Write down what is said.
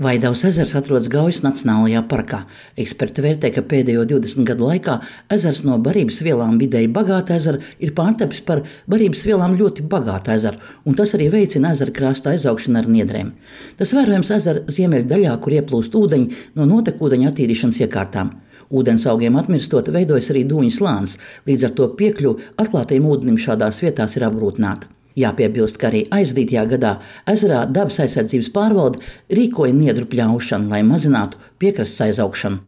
Vaidavas ezers atrodas Gaujas Nacionālajā parkā. Eksperti vērtē, ka pēdējo 20 gadu laikā ezers no barības vielām vidēji bagāta ezera ir pārtapis par barības vielām ļoti bagātu ezeru, un tas arī veicina ezera krasta aizaugšanu ar niedrēm. Tas vērojams ezera ziemeļu daļā, kur ieplūst ūdeņi no notekūdeņa attīrīšanas iekārtām. Ūdens augiem atmirstot, veidojas arī dūņu slānis, līdz ar to piekļuve atklātajam ūdenim šādās vietās ir apgrūtināta. Jāpiebilst, ka arī aizdītajā gadā ezerā dabas aizsardzības pārvalde rīkoja niedru pļaušanu, lai mazinātu piekrastes aizaugšanu.